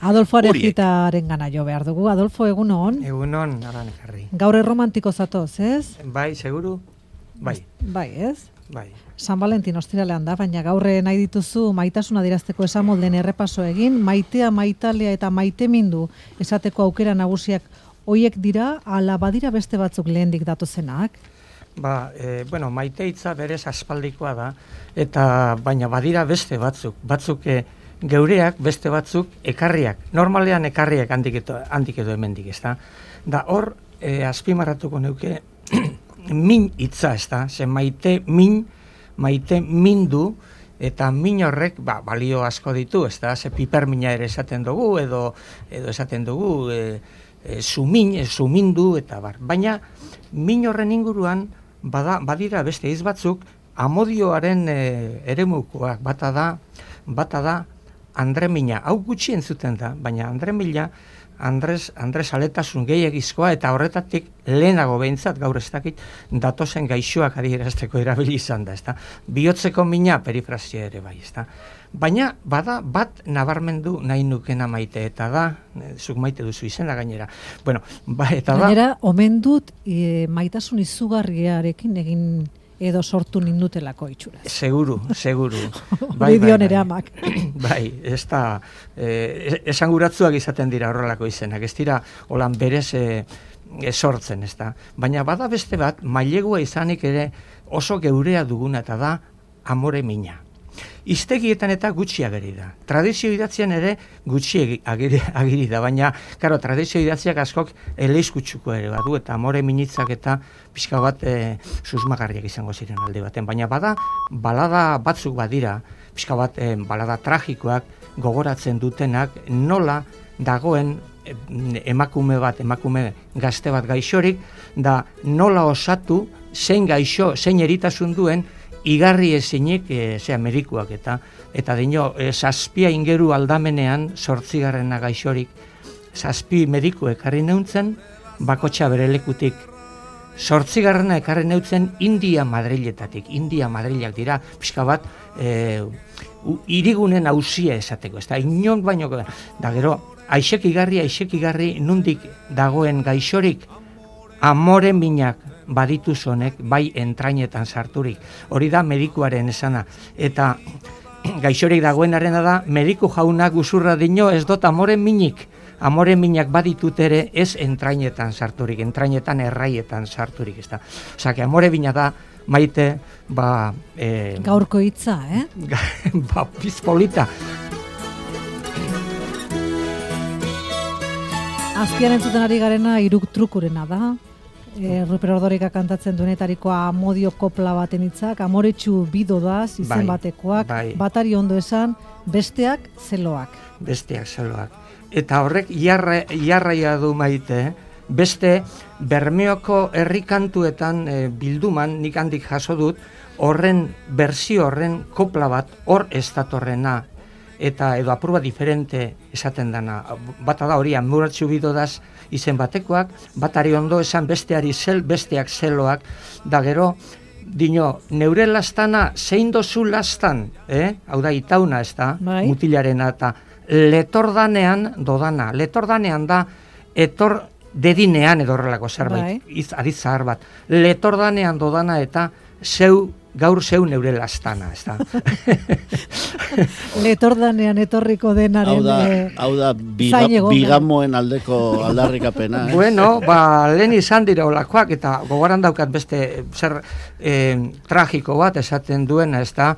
Adolfo Arejitaren gana jo behar dugu. Adolfo, egunon? Egunon, aran ekarri. Gaur erromantiko zatoz, ez? Bai, seguru? Bai. Bai, ez? Bai. San Valentin ostiralean da, baina gaur nahi dituzu maitasuna adierazteko esamolden errepaso egin, maitea, maitalea eta maitemindu esateko aukera nagusiak hoiek dira, ala badira beste batzuk lehendik datozenak? Bueno, maite hitza berez aspaldikoa da, eta baina badira beste batzuk geureak, beste batzuk ekarriak. Normalean ekarriak handik edo hemendik, ez da? Da hor, azpimarratuko neuke, min hitza, ez da? Ze maite mindu, eta min horrek balio asko ditu, ez da? Ze pipermina ere esaten dugu, edo esaten dugu, sumindu, eta bar. Baina, min horren inguruan, badira beste hitz batzuk, amodioaren eremukoak, bata da andremina. Hau gutxi entzuten da, baina andremina, Andres aletasun gehiagizkoa, eta horretatik lehenago behintzat, gaur ez dakit, datozen gaixoak adierazteko erabili izan da, ezta? Bihotzeko mina perifrasia ere bai, ezta? Baina, bada, bat nabarmendu nahi nukena maite, eta da, zuk maite duzu izena gainera. Bueno, eta da... Gainera, omen dut maitasun izugarriarekin egin edo sortu nindutelako itxura. Seguru. Bai, dion ere amak. Bai, ez da, esanguratzuak izaten dira horrelako izenak, ez dira holan berez sortzen, ez da. Baina bada beste bat, mailegua izanik ere oso geurea duguna, eta da amore mina. Iztegietan eta gutxi ageri da. Tradizio idatzian ere gutxi agiri da, baina, karo, tradizio idatziak askok eleizkutsuko ere badu, eta amore minitzak eta pixka bat susmagarriak izango ziren alde baten. Baina balada batzuk badira, pixka bat balada tragikoak gogoratzen dutenak, nola dagoen emakume gazte bat gaixorik, da nola osatu zein eritasun duen, igarri ezinik medikuak eta dino, zazpia ingeru aldamenean, 8. gaixorik, 7 mediku ekarri neuntzen, bakotxa bere lekutik. 8. ekarri neuntzen India Madriletatik. India Madrilak dira, pixka bat, irigunen hausia esateko, ez da, inon baino, da gero, aixek igarri, nundik dagoen gaixorik, amore minak baditu zonek, bai entrainetan sarturik. Hori da medikuaren esana. Eta gaixorik dagoenarena da, mediku jaunak usurra dino ez dut amore minak baditut ere ez entrainetan sarturik, entrainetan erraietan sarturik. Osa, amore mina da, maite, gaurko hitza, bizpolita. Azpian entzuten ari garena iruk trukurena da. Ruper Ordorika kantatzen duenetarikoa amodio kopla baten hitzak, amoretsu bidodaz, izen batekoak, batari ondo esan, besteak zeloak. Eta horrek jarraia du maite, beste Bermeoko herrikantuetan bilduman, nik handik jaso dut, horren berzio horren kopla bat, hor ez datorrena, eta edo apurba diferente esaten dana. Bata da hori, amoretsu bidodaz izen batekoak, batari ondo esan besteak zeloak, da gero, dino, neure lastana zein dozu lastan, hau da itauna ez da, mutilarena, eta letordanean dodana, letordanean da, etor dedinean edo horrelako zerbait, aditz zahar bat, letordanean dodana eta gaur zeu neure lastana, ez da. Letordanean etorriko denaren hau da bigamoen aldeko aldarrikapena. Bueno, lehen izan dira olakoak, eta gogoran daukat beste zer tragiko bat esaten duena, ez da,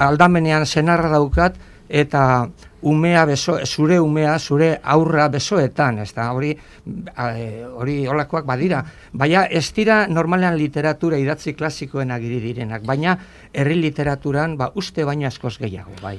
aldamenean senarra daukat, eta zure aurra besoetan, ez da, hori olakoak badira. Baina ez dira normalean literatura idatzi klasikoen agiri direnak, baina herri literaturan uste baino askoz gehiago, bai.